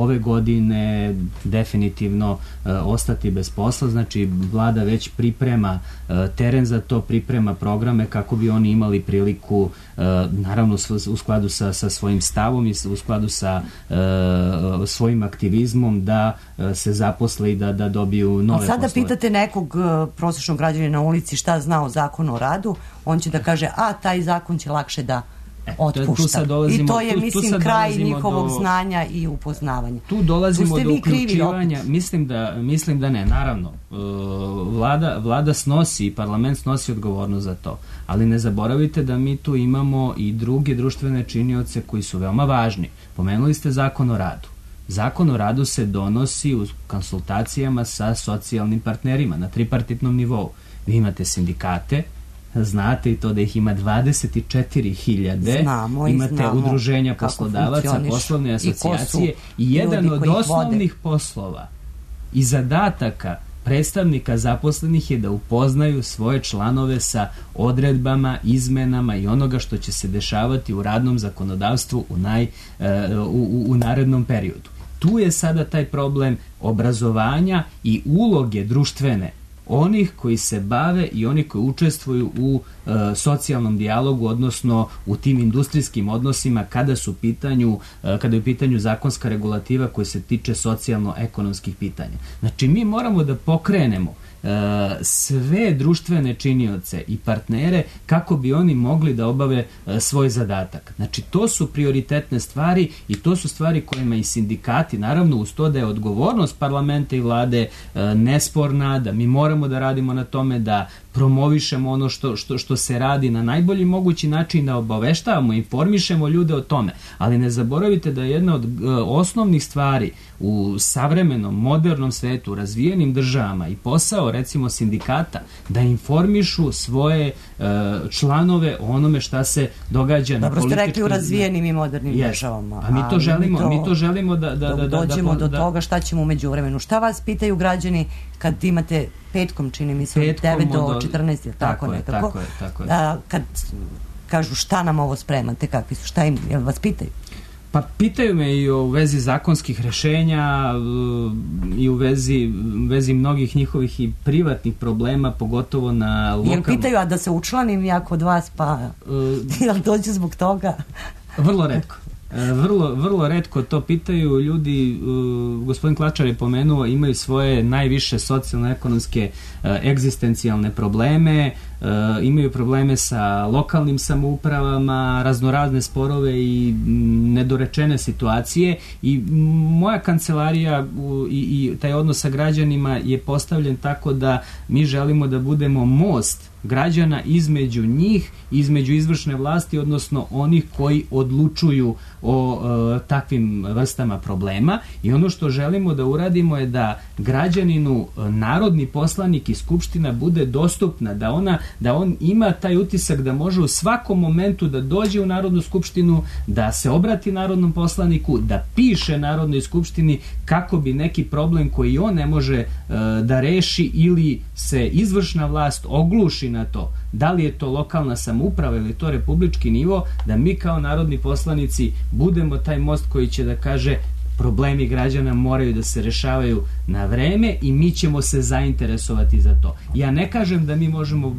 ove godine definitivno uh, ostati bez posla. Znači vlada već priprema uh, teren za to, priprema programe kako bi oni imali priliku uh, naravno u skladu sa, sa svojim stavom i u skladu sa uh, svojim aktivizmom da uh, se zaposle i da, da dobiju nove sada poslove. Pitate nekog uh, prosječnog građanina na ulici šta zna o zakonu o radu, on će da kaže, a taj zakon će lakše da E, otpušta. I to je, tu, mislim, tu kraj njihovog do, znanja i upoznavanja. Tu dolazimo do uključivanja, mislim da, mislim da ne, naravno, vlada, vlada snosi, parlament snosi odgovornost za to, ali ne zaboravite da mi tu imamo i druge društvene činioce koji su veoma važni. Pomenuli ste zakon o radu. Zakon o radu se donosi u konsultacijama sa socijalnim partnerima na tripartitnom nivou. Vi imate sindikate, znate i to da ih ima dvadeset četiri hiljade, imate udruženja poslodavaca, poslovne asocijacije i jedan od osnovnih poslova i zadataka predstavnika zaposlenih je da upoznaju svoje članove sa odredbama, izmenama i onoga što će se dešavati u radnom zakonodavstvu u, naj, u, u, u narednom periodu. Tu je sada taj problem obrazovanja i uloge društvene onih koji se bave i oni koji učestvuju u e, socijalnom dijalogu, odnosno u tim industrijskim odnosima kada su pitanju, e, kada je u pitanju zakonska regulativa koja se tiče socijalno-ekonomskih pitanja. Znači, mi moramo da pokrenemo sve društvene činioce i partnere kako bi oni mogli da obave svoj zadatak. Znači, to su prioritetne stvari i to su stvari kojima i sindikati, naravno uz to da je odgovornost parlamenta i vlade nesporna, da mi moramo da radimo na tome da promovišemo ono što, što, što se radi na najbolji mogući način, da obaveštavamo, informišemo ljude o tome. Ali ne zaboravite da je jedna od uh, osnovnih stvari u savremenom, modernom svetu, razvijenim državama i posao, recimo, sindikata, da informišu svoje uh, članove o onome šta se događa Dobro na političkom... Dobro ste rekli u razvijenim i modernim yes. državama. A mi to želimo, mi to, mi to želimo da... da, da, da dođemo da, da, do toga šta ćemo umeđu vremenu. Šta vas pitaju građani kad imate petkom, čini mi se, od devet do četrnaest, tako, tako nekako? Tako je, tako je. A, kad kažu šta nam ovo spremate, kakvi su, šta im, jel vas pitaju? Pa pitaju me i u vezi zakonskih rešenja i u vezi, vezi mnogih njihovih i privatnih problema, pogotovo na lokalnom... Jel pitaju, a da se učlanim ja kod vas, pa uh, jel dođe zbog toga? Vrlo retko. Vrlo, vrlo retko to pitaju ljudi. Uh, gospodin Klačar je pomenuo, imaju svoje najviše socijalno-ekonomske uh, egzistencijalne probleme, uh, imaju probleme sa lokalnim samoupravama, raznorazne sporove i m, nedorečene situacije i m, moja kancelarija u, i, i taj odnos sa građanima je postavljen tako da mi želimo da budemo most građana između njih, između izvršne vlasti, odnosno onih koji odlučuju o e, takvim vrstama problema, i ono što želimo da uradimo je da građaninu narodni poslanik i skupština bude dostupna, da ona da on ima taj utisak da može u svakom momentu da dođe u Narodnu skupštinu, da se obrati narodnom poslaniku, da piše Narodnoj skupštini kako bi neki problem koji on ne može e, da reši ili se izvršna vlast ogluši na to, da li je to lokalna samouprava ili to republički nivo, da mi kao narodni poslanici budemo taj most koji će da kaže problemi građana moraju da se rešavaju na vreme i mi ćemo se zainteresovati za to. Ja ne kažem da mi možemo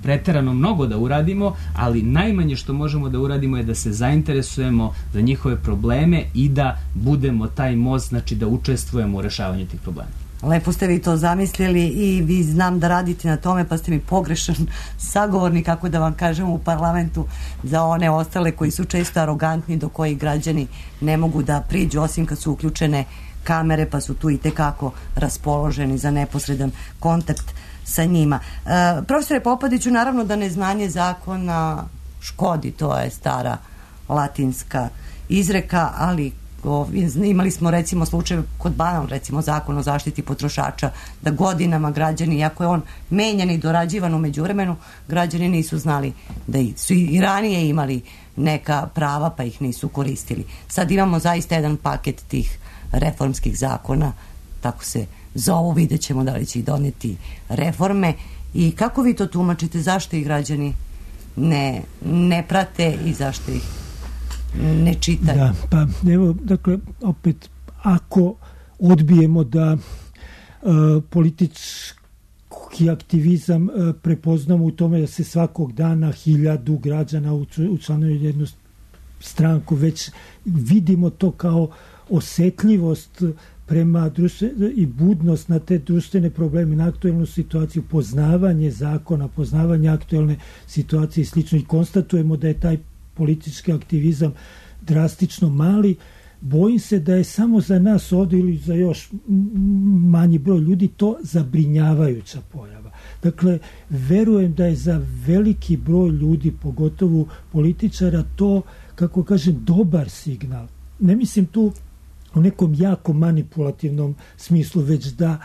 preterano mnogo da uradimo, ali najmanje što možemo da uradimo je da se zainteresujemo za njihove probleme i da budemo taj most, znači da učestvujemo u rešavanju tih problema. Lepo ste vi to zamislili i vi znam da radite na tome, pa ste mi pogrešan sagovornik, kako da vam kažem, u parlamentu za one ostale koji su često arogantni, do kojih građani ne mogu da priđu, osim kad su uključene kamere, pa su tu i tekako raspoloženi za neposredan kontakt sa njima. E, profesore Popadiću, naravno da neznanje zakona škodi, to je stara latinska izreka, ali imali smo recimo slučaj kod Banan, recimo zakon o zaštiti potrošača, da godinama građani, iako je on menjan i dorađivan u međuvremenu, građani nisu znali da su i ranije imali neka prava pa ih nisu koristili. Sad imamo zaista jedan paket tih reformskih zakona, tako se zovu, vidjet ćemo da li će ih doneti reforme. I kako vi to tumačite, zašto ih građani ne, ne prate i zašto ih ne čitaju? Da, pa evo, dakle, opet, ako odbijemo da uh, politički aktivizam uh, prepoznamo u tome da se svakog dana hiljadu građana učlanuje jednu stranku, već vidimo to kao osetljivost prema društve, i budnost na te društvene probleme, na aktuelnu situaciju, poznavanje zakona, poznavanje aktuelne situacije i slično, i konstatujemo da je taj politički aktivizam drastično mali. Bojim se da je samo za nas ovdje ili za još manji broj ljudi to zabrinjavajuća pojava. Dakle, verujem da je za veliki broj ljudi, pogotovo političara, to, kako kažem, dobar signal. Ne mislim tu u nekom jako manipulativnom smislu, već da,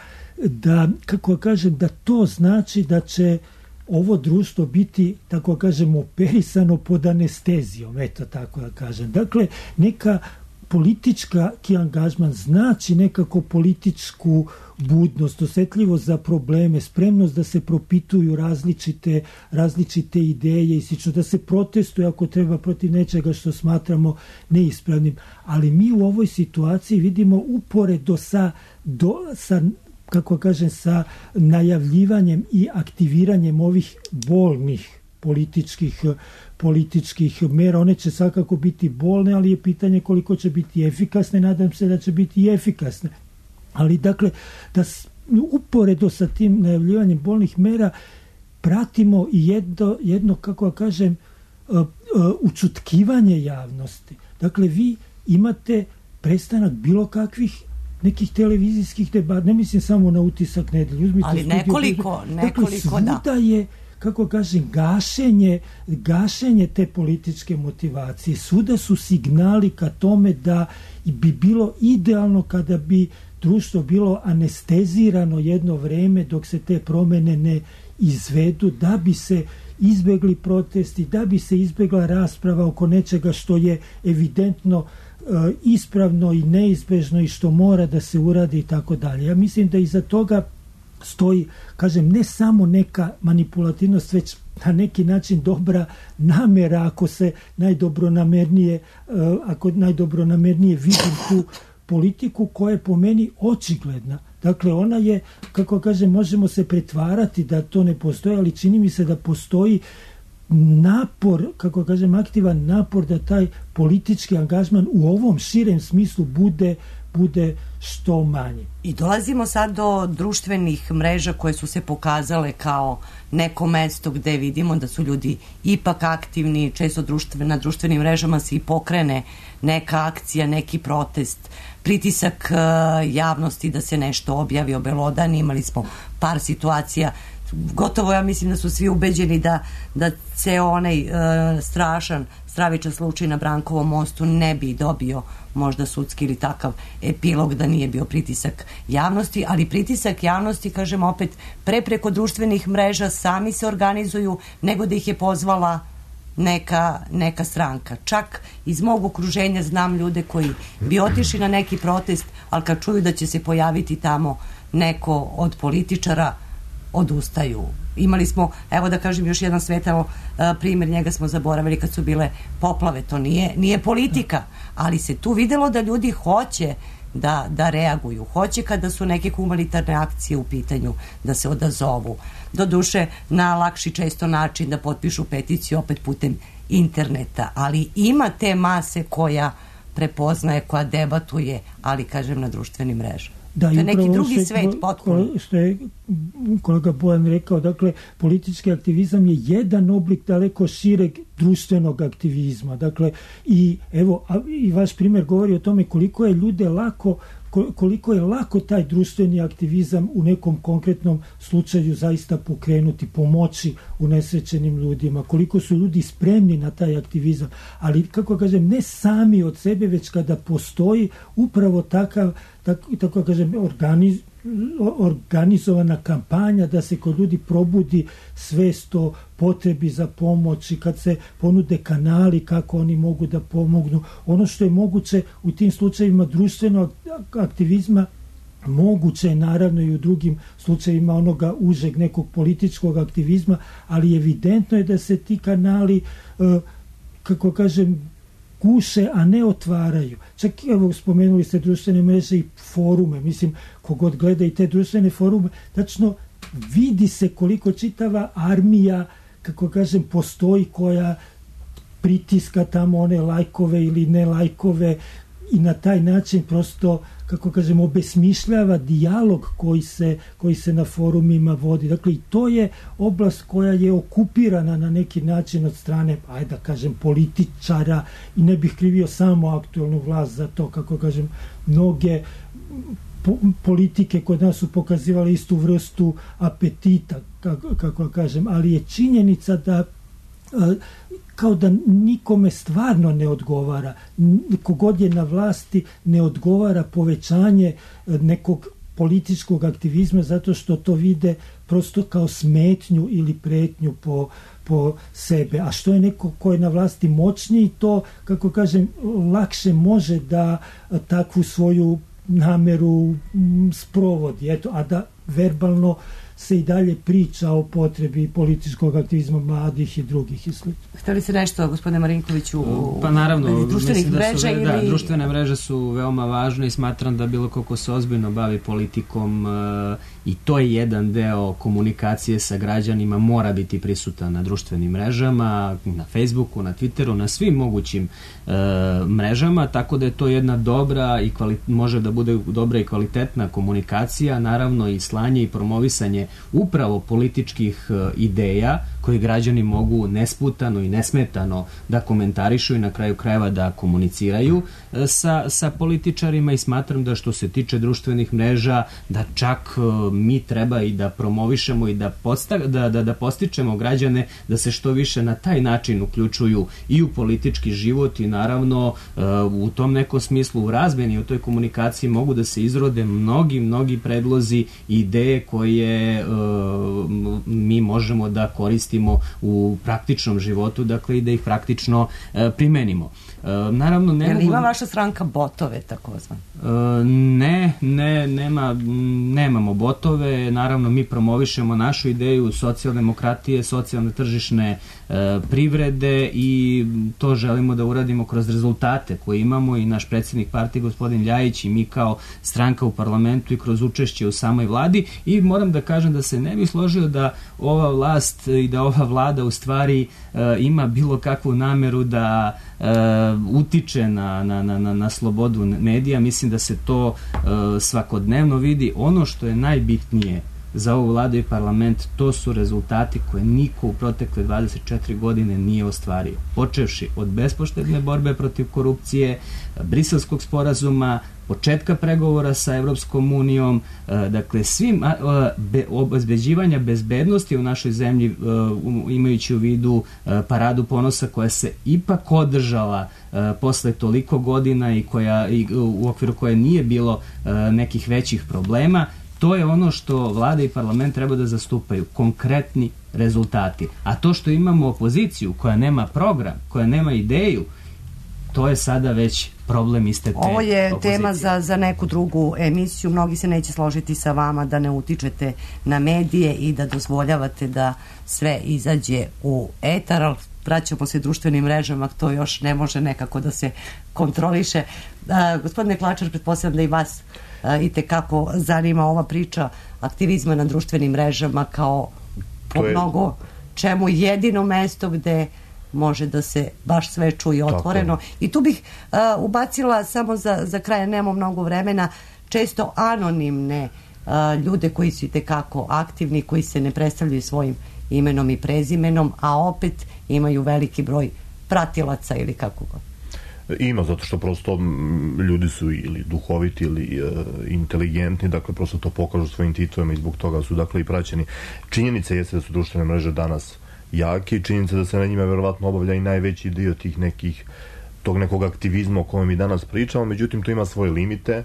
da kako kažem, da to znači da će ovo društvo biti, tako kažem, operisano pod anestezijom, eto tako da kažem. Dakle, neka politička angažman znači nekako političku budnost, osjetljivost za probleme, spremnost da se propituju različite, različite ideje i slično, da se protestuje ako treba protiv nečega što smatramo neispravnim. Ali mi u ovoj situaciji vidimo uporedo sa, do, sa kako kažem, sa najavljivanjem i aktiviranjem ovih bolnih političkih, političkih mera. One će svakako biti bolne, ali je pitanje koliko će biti efikasne. Nadam se da će biti i efikasne. Ali dakle, da uporedo sa tim najavljivanjem bolnih mera pratimo i jedno, jedno kako kažem, učutkivanje javnosti. Dakle, vi imate prestanak bilo kakvih nekih televizijskih debata, ne mislim samo na Utisak nedelje. Uzmite ali studio, nekoliko, nekoliko, dakle, svuda da. je, kako kažem, gašenje, gašenje te političke motivacije. Svuda su signali ka tome da bi bilo idealno kada bi društvo bilo anestezirano jedno vreme dok se te promene ne izvedu, da bi se izbegli protesti, da bi se izbegla rasprava oko nečega što je evidentno e, ispravno i neizbežno i što mora da se uradi i tako dalje. Ja mislim da iza toga stoji, kažem, ne samo neka manipulativnost, već na neki način dobra namera, ako se najdobronamernije, e, ako najdobronamernije vidim tu politiku koja je po meni očigledna. Dakle, ona je, kako kažem, možemo se pretvarati da to ne postoji, ali čini mi se da postoji napor, kako kažem, aktivan napor da taj politički angažman u ovom širem smislu bude bude što manje. I dolazimo sad do društvenih mreža koje su se pokazale kao neko mesto gde vidimo da su ljudi ipak aktivni, često društven, na društvenim mrežama se i pokrene neka akcija, neki protest, pritisak uh, javnosti da se nešto objavi, obelodani. Imali smo par situacija, gotovo ja mislim da su svi ubeđeni da, da ceo onaj uh, strašan, stravičan slučaj na Brankovom mostu ne bi dobio možda sudski ili takav epilog da nije bio pritisak javnosti, ali pritisak javnosti, kažem opet, pre preko društvenih mreža sami se organizuju nego da ih je pozvala neka, neka stranka. Čak iz mog okruženja znam ljude koji bi otišli na neki protest, ali kad čuju da će se pojaviti tamo neko od političara, odustaju. Imali smo, evo da kažem još jedan svetao primjer, njega smo zaboravili kad su bile poplave, to nije, nije politika, ali se tu videlo da ljudi hoće da, da reaguju, hoće kada su neke humanitarne akcije u pitanju da se odazovu. Doduše na lakši često način da potpišu peticiju opet putem interneta, ali ima te mase koja prepoznaje, koja debatuje, ali kažem na društvenim mrežama. Da, to je neki drugi što, svet potpuno. Što je kolega Bojan rekao, dakle, politički aktivizam je jedan oblik daleko šireg društvenog aktivizma. Dakle, i evo, a, i vaš primjer govori o tome koliko je ljude lako koliko je lako taj društveni aktivizam u nekom konkretnom slučaju zaista pokrenuti, pomoći unesrećenim ljudima, koliko su ljudi spremni na taj aktivizam, ali kako kažem, ne sami od sebe, već kada postoji upravo takav, tako, tako kažem, organiz, organizovana kampanja da se kod ljudi probudi svest o potrebi za pomoć i kad se ponude kanali kako oni mogu da pomognu. Ono što je moguće u tim slučajevima društvenog aktivizma, moguće je naravno i u drugim slučajevima onoga užeg nekog političkog aktivizma, ali evidentno je da se ti kanali, kako kažem, guše, a ne otvaraju. Čak, evo, spomenuli ste društvene mreže i forume. Mislim, kogod gleda i te društvene forume, tačno vidi se koliko čitava armija, kako kažem, postoji koja pritiska tamo one lajkove ili ne lajkove i na taj način prosto, kako kažem, obesmišljava dijalog koji se, koji se na forumima vodi. Dakle, i to je oblast koja je okupirana na neki način od strane, ajde da kažem, političara, i ne bih krivio samo aktualnu vlast za to, kako kažem, mnoge po, politike kod nas su pokazivali istu vrstu apetita, kako, kako kažem, ali je činjenica da kao da nikome stvarno ne odgovara, kogod je na vlasti ne odgovara povećanje nekog političkog aktivizma zato što to vide prosto kao smetnju ili pretnju po, po sebe. A što je neko ko je na vlasti moćniji, to, kako kažem, lakše može da takvu svoju nameru sprovodi. Eto, a da verbalno se i dalje priča o potrebi političkog aktivizma mladih i drugih i slično. Hteli se nešto, gospodine Marinkoviću, u pa naravno, društvenih da su, mreža ili... Da, društvene mreže su veoma važne i smatram da bilo koliko se ozbiljno bavi politikom e, i to je jedan deo komunikacije sa građanima, mora biti prisutan na društvenim mrežama, na Facebooku, na Twitteru, na svim mogućim e, mrežama, tako da je to jedna dobra i kvali, može da bude dobra i kvalitetna komunikacija, naravno i slanje i promovisanje upravo političkih ideja koje građani mogu nesputano i nesmetano da komentarišu i na kraju krajeva da komuniciraju sa, sa političarima, i smatram da što se tiče društvenih mreža da čak mi treba i da promovišemo i da, posta, da, da, da postičemo građane da se što više na taj način uključuju i u politički život, i naravno u tom nekom smislu u razmeni, u toj komunikaciji mogu da se izrode mnogi, mnogi predlozi i ideje koje mi možemo da koristimo u praktičnom životu, dakle i da ih praktično e, primenimo. E, naravno, ne Jel mogu... ima vaša stranka botove takozvan? E, ne, ne, nema, nemamo botove, naravno mi promovišemo našu ideju socijaldemokratije, socijalne tržišne e, privrede, i to želimo da uradimo kroz rezultate koje imamo, i naš predsjednik partije gospodin Ljajić i mi kao stranka u parlamentu i kroz učešće u samoj vladi. I moram da kažem da se ne bi složio da ova vlast i da ova vlada u stvari e, ima bilo kakvu nameru da e, utiče na, na, na, na slobodu medija. Mislim da se to e, svakodnevno vidi. Ono što je najbitnije za ovu vladu i parlament, to su rezultati koje niko u protekle dvadeset četiri godine nije ostvario. Počevši od bespoštedne borbe protiv korupcije, Briselskog sporazuma, početka pregovora sa Evropskom unijom, dakle svim obezbeđivanja bezbednosti u našoj zemlji, imajući u vidu paradu ponosa koja se ipak održala posle toliko godina i koja i u okviru koje nije bilo nekih većih problema. To je ono što vlada i parlament treba da zastupaju, konkretni rezultati. A to što imamo opoziciju koja nema program, koja nema ideju, to je sada već problem iste te Ovo je opozicije. tema za, za neku drugu emisiju. Mnogi se neće složiti sa vama da ne utičete na medije i da dozvoljavate da sve izađe u etar, ali vraćamo se društvenim mrežama, to još ne može nekako da se kontroliše. A, gospodine Klačar, pretpostavljam da i vas i tekako zanima ova priča aktivizma na društvenim mrežama kao po je... mnogo čemu jedino mesto gde može da se baš sve čuje otvoreno. Tako. I tu bih uh, ubacila samo za, za kraj, nemamo mnogo vremena, često anonimne uh, ljude koji su i tekako aktivni, koji se ne predstavljaju svojim imenom i prezimenom, a opet imaju veliki broj pratilaca ili kako god. Ima, zato što prosto ljudi su ili duhoviti ili uh, inteligentni, dakle prosto to pokažu svojim titulama i zbog toga su dakle i praćeni. Činjenica jeste da su društvene mreže danas jaki i činjenica da se na njima verovatno obavlja i najveći dio tih nekih, tog nekog aktivizma o kojem mi danas pričamo, međutim to ima svoje limite.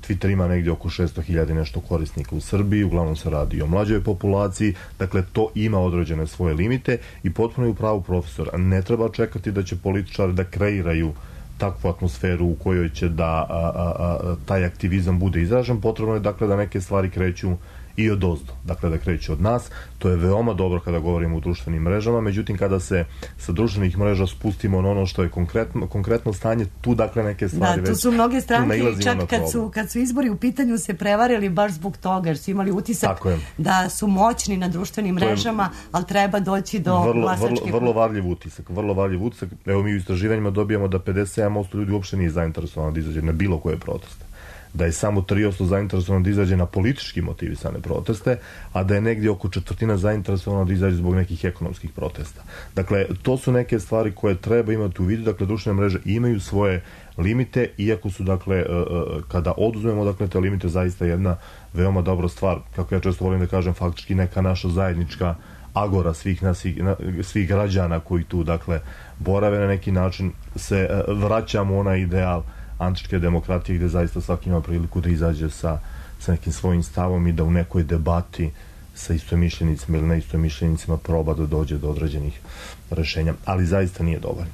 Twitter ima negdje oko šesto hiljada nešto korisnika u Srbiji, uglavnom se radi o mlađoj populaciji, dakle to ima određene svoje limite i potpuno je u pravu profesor. Ne treba čekati da će političari da kreiraju takvu atmosferu u kojoj će da a, a, a, taj aktivizam bude izražen. Potrebno je dakle da neke stvari kreću i od ozdo, dakle da kreće od nas. To je veoma dobro kada govorimo o društvenim mrežama, međutim kada se sa društvenih mreža spustimo na ono što je konkretno, konkretno stanje, tu dakle neke stvari već... Da, tu su mnoge stranke čak kad su, kad su izbori u pitanju se prevarili baš zbog toga, jer su imali utisak da su moćni na društvenim mrežama, ali treba doći do vrlo, glasačkih... Vrlo, vrlo varljiv utisak, vrlo varljiv utisak. Evo mi u istraživanjima dobijamo da pedeset sedam posto ljudi uopšte nije zainteresovano da izađe na bilo koje proteste, da je samo tri posto zainteresovano da izađe na politički motivisane proteste, a da je negdje oko četvrtina zainteresovano da izađe zbog nekih ekonomskih protesta. Dakle, to su neke stvari koje treba imati u vidu, dakle, društvene mreže imaju svoje limite, iako su, dakle, kada oduzmemo, dakle, te limite, zaista jedna veoma dobra stvar, kako ja često volim da kažem, faktički neka naša zajednička agora svih nas, svih građana koji tu, dakle, borave na neki način, se vraćamo onaj ideal antičke demokratije gde zaista svaki ima priliku da izađe sa, sa nekim svojim stavom i da u nekoj debati sa istomišljenicima ili neistomišljenicima proba da dođe do određenih rešenja, ali zaista nije dovoljno.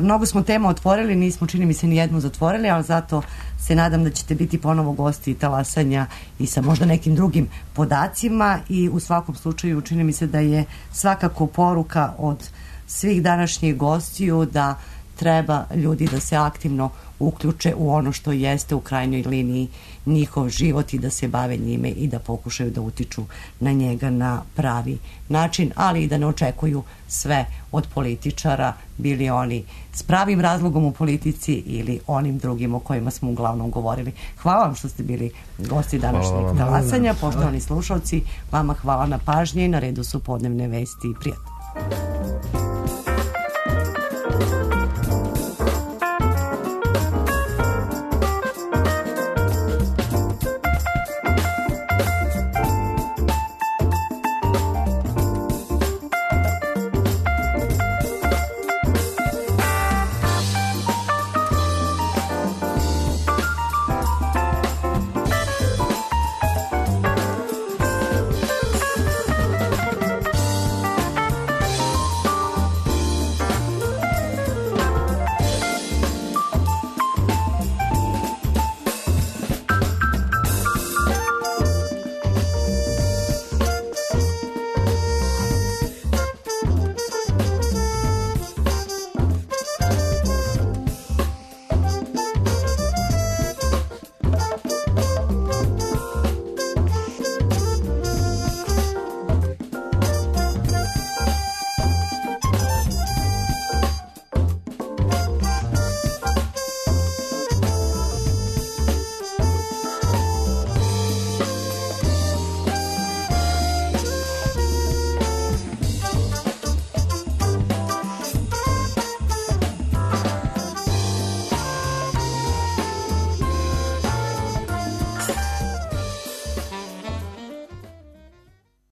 Mnogo smo tema otvorili, nismo čini mi se ni jednu zatvorili, ali zato se nadam da ćete biti ponovo gosti talasanja i sa možda nekim drugim podacima i u svakom slučaju čini mi se da je svakako poruka od svih današnjih gostiju da treba ljudi da se aktivno uključe u ono što jeste u krajnjoj liniji njihov život i da se bave njime i da pokušaju da utiču na njega na pravi način, ali i da ne očekuju sve od političara, bili oni s pravim razlogom u politici ili onim drugim o kojima smo uglavnom govorili. Hvala vam što ste bili gosti današnjeg talasanja. Poštovani slušalci, vama hvala na pažnji. Na redu su podnevne vesti i prijatno.